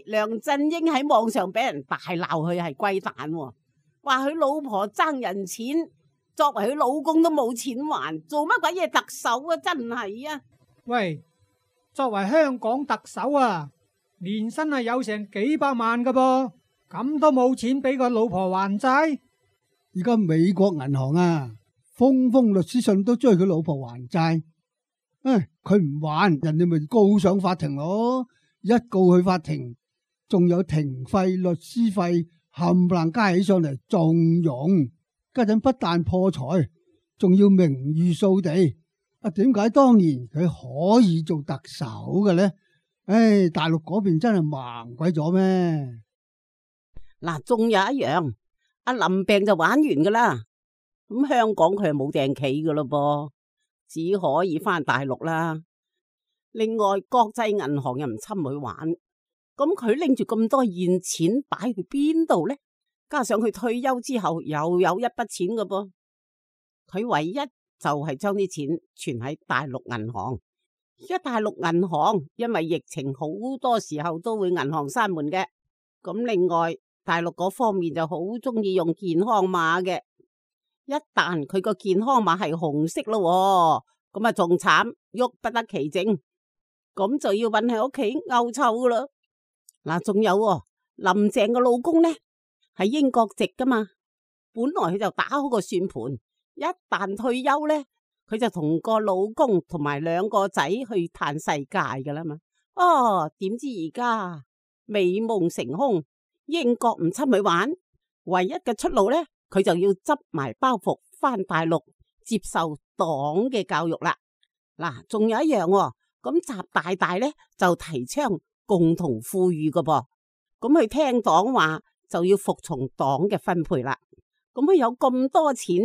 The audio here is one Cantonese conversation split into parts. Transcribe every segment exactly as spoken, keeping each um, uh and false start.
係梁振英喺網上俾人大鬧佢係龜蛋，話佢老婆爭人錢，作為佢老公都冇錢還，做乜鬼嘢特首啊？真係啊！喂，作為香港特首啊，年薪係有成幾百萬噶噃，咁都冇錢俾個老婆還債？而家美國銀行啊，封封律師信都追佢老婆還債。唉，佢唔還，人哋咪告上法庭咯。一告去法庭，仲有庭費、律師費冚唪唥加起上嚟，仲用。家陣不但破財，仲要名譽掃地。啊，點解當年佢可以做特首嘅呢？唉，大陸嗰邊真係盲鬼咗咩？嗱，仲有一樣，阿林病就玩完噶啦。咁香港佢係冇訂企噶咯噃，只可以翻大陸啦。另外，國際銀行又唔侵佢玩，咁佢拎住咁多現錢擺去邊度呢？加上佢退休之後又有一筆錢噶噃，佢唯一就係將啲錢存喺大陸銀行。而家大陸銀行因為疫情好多時候都會銀行閂門嘅，咁另外大陸嗰方面就好中意用健康碼嘅，一旦佢個健康碼係紅色咯，咁啊仲慘，喐不得其正，咁就要韫喺屋企漚臭噶啦。嗱，仲有林鄭嘅老公呢，係英國籍噶嘛，本來佢就打好個算盤，一旦退休呢，佢就同個老公同埋兩個仔去嘆世界噶啦嘛。哦，點知而家美夢成空，英國唔侵佢玩，唯一嘅出路呢，佢就要執埋包袱翻大陸接受黨嘅教育啦。嗱，仲有一樣，咁習大大呢就提倡共同富裕噶噃，咁佢聽黨話就要服從黨嘅分配啦。咁佢有咁多錢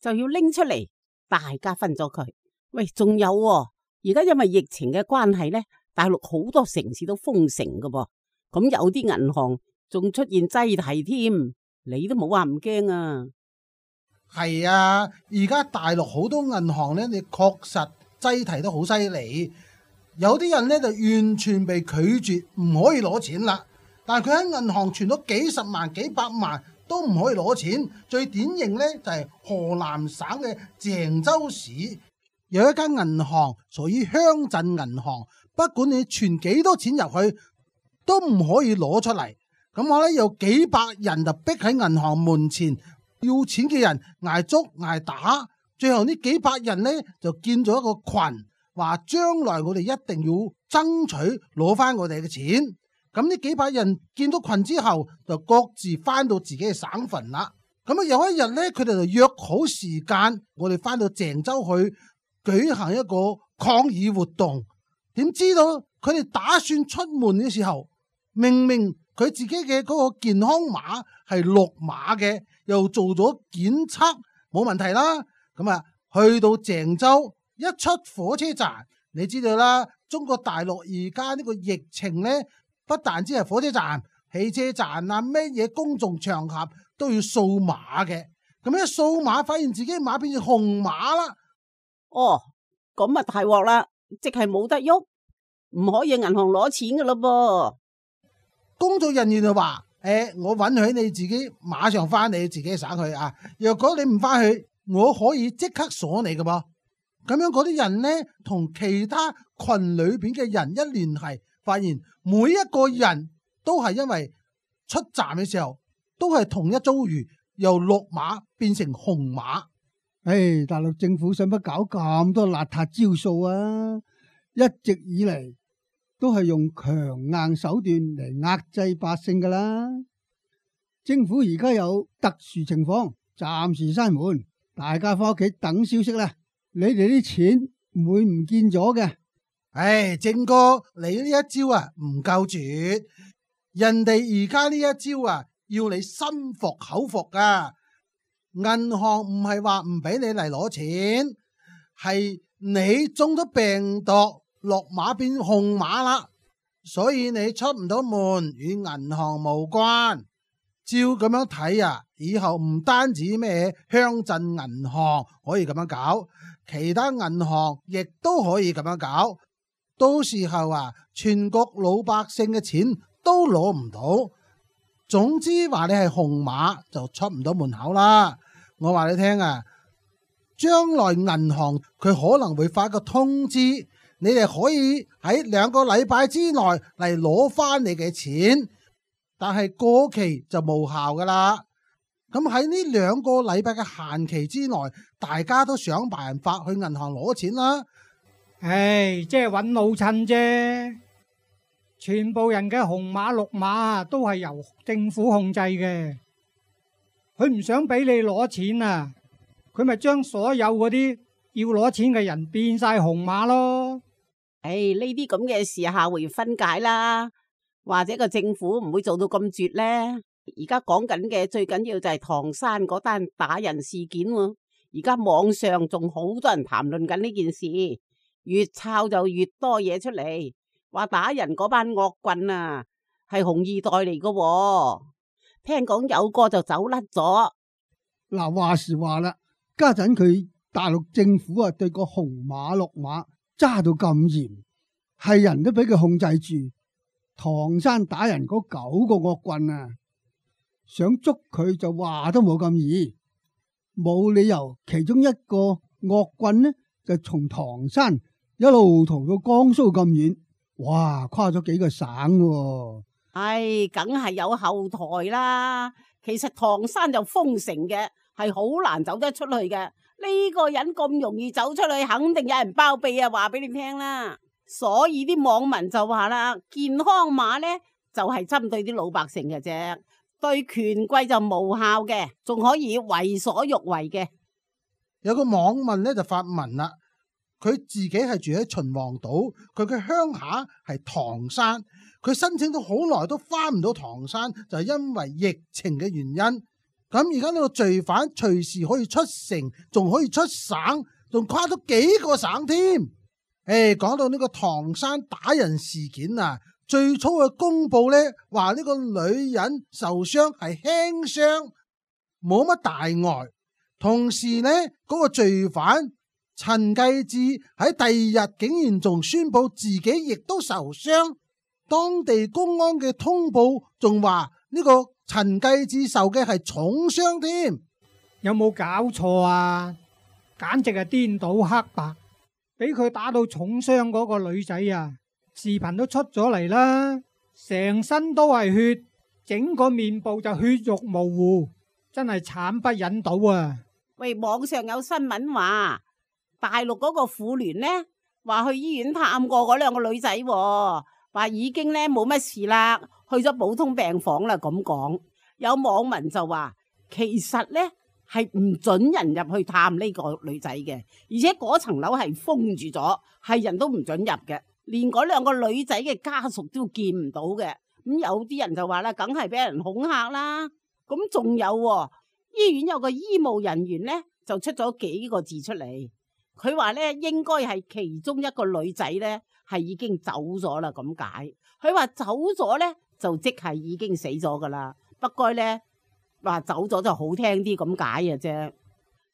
就要拎出嚟，大家分咗佢。喂，仲有而家因為疫情嘅關係呢，大陸好多城市都封城噶噃，咁有啲銀行仲出現擠提添，你都冇話唔驚啊？係啊，而家大陸好多銀行呢，你確實擠提得好犀利，有啲人呢就完全被拒絕，唔可以攞錢啦。但係佢喺銀行存咗幾十萬、幾百萬都唔可以攞錢。最典型呢就係河南省嘅鄭州市有一間銀行屬於鄉鎮銀行，不管你存幾多錢入去都唔可以攞出嚟。咁我咧有幾百人就逼喺銀行門前，要錢嘅人挨捉挨打，最後呢幾百人呢就建咗一個群，話將來我哋一定要爭取攞翻我哋嘅錢。咁呢幾百人見到群之後，就各自翻到自己嘅省份啦。咁啊有一日呢，佢哋就約好時間，我哋翻到鄭州去舉行一個抗議活動。點知道佢哋打算出門嘅時候，明明佢自己嘅嗰個健康碼係綠碼嘅，又做咗檢測冇問題啦。咁啊去到鄭州一出火車站，你知道啦，中國大陸而家呢個疫情呢，不但只係火車站、汽車站啊，咩嘢公眾場合都要掃碼嘅。咁一掃碼，發現自己碼變成紅碼啦。哦，咁啊大鑊啦，即係冇得喐，唔可以銀行攞錢噶咯噃。工作人員就話：誒、欸，我允許你自己馬上翻你自己嘅省去啊。若果你唔翻去，我可以即刻鎖你噶噃。咁樣嗰啲人呢，同其他群裏邊嘅人一聯繫，發現每一個人都係因為出站嘅時候都係同一遭遇，由綠碼變成紅碼。唉，大陸政府使乜搞咁多邋遢招數啊？一直以嚟都係用強硬手段嚟壓制百姓噶啦。政府而家有特殊情況，暫時閂門，大家翻屋企等消息啦。你哋啲錢唔會唔見咗嘅。唉，正哥，你呢一招啊唔夠絕，人哋而家呢一招啊要你心服口服噶。銀行唔係話唔俾你嚟攞錢，係你中咗病毒，綠碼變紅碼啦，所以你出唔到門，與銀行無關。照咁樣睇啊，以後唔單止咩鄉鎮銀行可以咁樣搞，其他銀行亦都可以咁樣搞。到時候啊，全國老百姓嘅錢都攞唔到。總之話你係紅碼就出唔到門口啦。我話你聽啊，將來銀行佢可能會發個通知，你哋可以喺兩個禮拜之內嚟攞翻你嘅錢，但係過期就無效噶啦。咁喺呢兩個禮拜嘅限期之內，大家都想辦法去銀行攞錢啦。唉，即係揾老襯啫。全部人嘅紅碼綠碼都係由政府控制嘅，佢唔想俾你攞錢啊，佢咪將所有嗰啲要攞錢嘅人變晒紅碼咯。唉，呢啲咁嘅事下回分解啦，或者個政府唔會做到咁絕呢。而家講緊嘅最緊要就係唐山嗰單打人事件喎，而家網上仲好多人談論緊呢件事，越抄就越多嘢出嚟。話打人嗰班惡棍啊，係紅二代嚟噶，聽講有個就走甩咗。嗱，話時話啦，家陣佢大陸政府啊，對個紅碼綠碼揸到咁嚴，係人都俾佢控制住。唐山打人嗰九個惡棍啊，想捉佢就話都冇咁易，冇理由其中一個惡棍呢就從唐山一路逃到江蘇咁遠。哇，跨咗幾個省喎！唉，梗係有後台啦。其實唐山就封城嘅，係好難走得出去嘅。呢個人咁容易走出去，肯定有人包庇啊！話俾你聽啦。所以啲網民就話啦，健康碼呢就係針對啲老百姓嘅啫，對權貴就無效嘅，仲可以為所欲為嘅。有個網民呢就發文啦。佢自己係住喺秦皇島，佢嘅鄉下係唐山，佢申請咗好耐都翻唔到唐山，就係因為疫情嘅原因。咁而家呢個罪犯隨時可以出城，仲可以出省，仲跨咗幾個省添。誒，講到呢個唐山打人事件啊，最初嘅公布呢話呢個女人受傷係輕傷，冇乜大礙。同時呢，嗰個罪犯陳繼志喺第二日竟然仲宣布自己亦都受傷，當地公安嘅通報仲話呢個陳繼志受嘅係重傷添。有冇搞錯啊？簡直係顛倒黑白，俾佢打到重傷嗰個女仔啊，視頻都出咗嚟啦，成身都係血，整個面部就血肉模糊，真係慘不忍睹啊！喂，網上有新聞話，大陸嗰個婦聯呢，話去醫院探過嗰兩個女仔，話已經呢冇乜事啦，去咗普通病房啦。咁講，有網民就話，其實呢係唔准人入去探呢個女仔嘅，而且嗰層樓係封住咗，係人都唔准入嘅，連嗰兩個女仔嘅家屬都見唔到嘅。咁有啲人就話啦，梗係俾人恐嚇啦。咁仲有喎，醫院有個醫務人員呢，就出咗幾個字出嚟。佢話咧，應該係其中一個女仔咧，係已經走咗啦。咁解，佢話走咗咧，就即係已經死咗噶啦。不過咧，話走咗就好聽啲咁解嘅啫。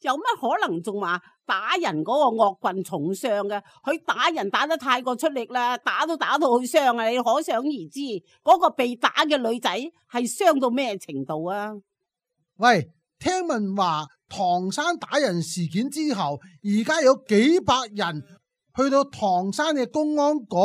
有乜可能仲話打人嗰個惡棍重傷嘅？佢打人打得太過出力啦，打都打到好傷啊！你可想而知，嗰個被打嘅女仔係傷到咩程度啊？喂，聽聞話唐山打人事件之後，而家有幾百人去到唐山嘅公安局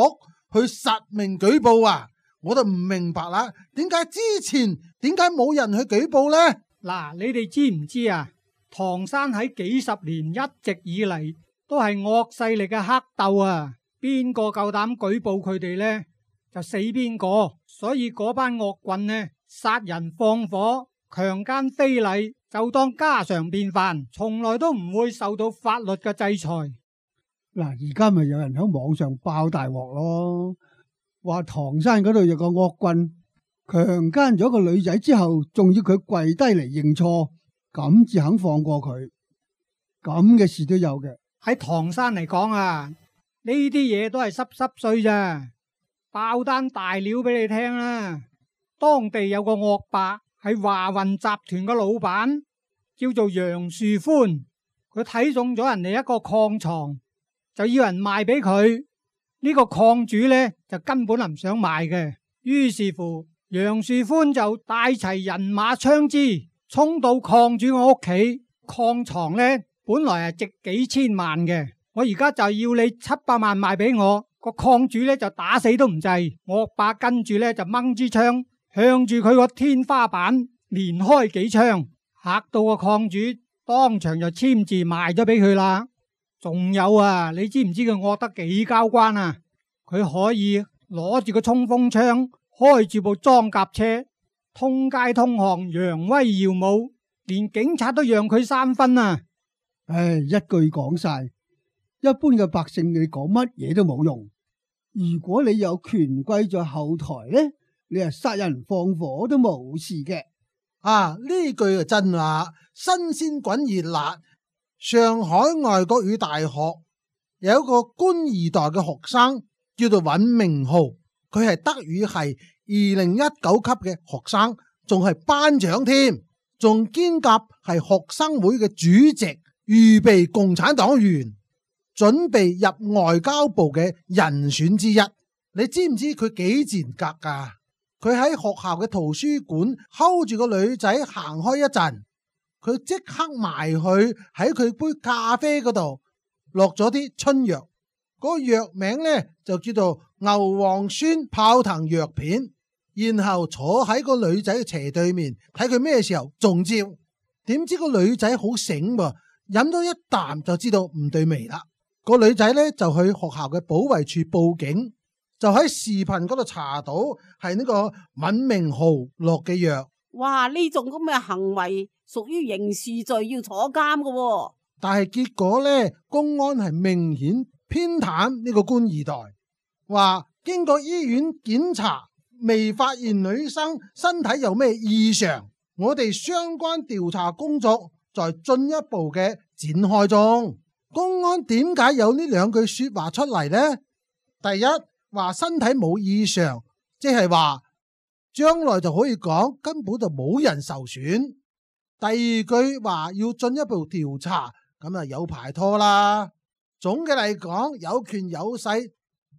去實名舉報啊！我就唔明白啦，點解之前點解冇人去舉報呢？嗱，你哋知唔知啊？唐山喺幾十年一直以嚟都係惡勢力嘅黑鬥啊！邊個夠膽舉報佢哋呢，就死邊個。所以嗰班惡棍呢，殺人放火、強姦非禮，就當家常便飯，從來都唔會受到法律嘅制裁。嗱，而家咪有人喺網上爆大鑊咯，話唐山嗰度有個惡棍強姦咗個女仔之後，仲要佢跪低嚟認錯，咁至肯放過佢。咁嘅事都有嘅。喺唐山嚟講啊，呢啲嘢都係濕濕碎咋。爆單大料俾你聽啦，當地有個惡霸係華雲集團嘅老闆，叫做楊樹寬。佢睇中咗人哋一個礦床，就要人賣俾佢。呢個礦主呢，就根本唔想賣嘅，於是乎，楊樹寬就帶齊人馬槍支，衝到礦主我屋企。礦床呢，本來係值幾千萬嘅，我而家就要你七百萬賣俾我。個礦主呢就打死都唔制，惡霸跟住呢就掹支槍向住佢個天花板連開幾槍，嚇到個礦主當場就簽字賣咗俾佢啦。仲有啊，你知唔知佢惡得幾交關啊？佢可以攞住個衝鋒槍，開住部裝甲車，通街通巷，揚威耀武，連警察都讓佢三分啊！唉，一句講晒，一般嘅百姓你講乜嘢都冇用。如果你有權貴在後台呢，你係殺人放火都冇事嘅。啊，呢句係真話，新鮮滾熱辣。上海外國語大學有一個官二代嘅學生叫做尹明浩，佢係德語系二零一九級嘅學生，仲係班長添，仲兼夾係學生會嘅主席，預備共產黨員，準備入外交部嘅人選之一。你知唔知佢幾賤格噶？佢喺學校嘅圖書館 hold 住個女仔行開一陣，佢即刻埋去喺佢杯咖啡嗰度落咗啲春藥，嗰個藥名呢就叫做牛磺酸泡騰藥片，然後坐喺個女仔嘅斜對面睇佢咩時候中招。點知個女仔好醒噃，飲咗一啖就知道唔對味啦。個女仔呢就去學校嘅保衛處報警，就喺視頻嗰度查到係呢個尹明浩落嘅藥。哇！呢種咁嘅行為屬於刑事罪，要坐監㗎喎。但係結果呢，公安係明顯偏袒呢個官二代，話經過醫院檢查，未發現女生身體有咩異常，我哋相關調查工作在進一步嘅展開中。公安點解有呢兩句說話出嚟呢？第一，話身體冇異常，即係話將來就可以講根本就冇人受損。第二句話要進一步調查，咁啊有排拖啦。總嘅嚟講，有權有勢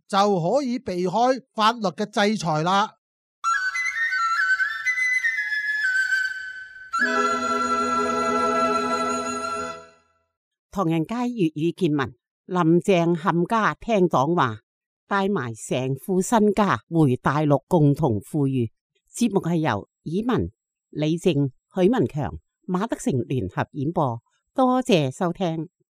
就可以避開法律嘅制裁啦。唐人街粵語見聞，林鄭冚家聽講話，帶埋成副身家回大陸共同富裕。節目係由以文、李靜、許文強、馬德成聯合演播，多謝收聽。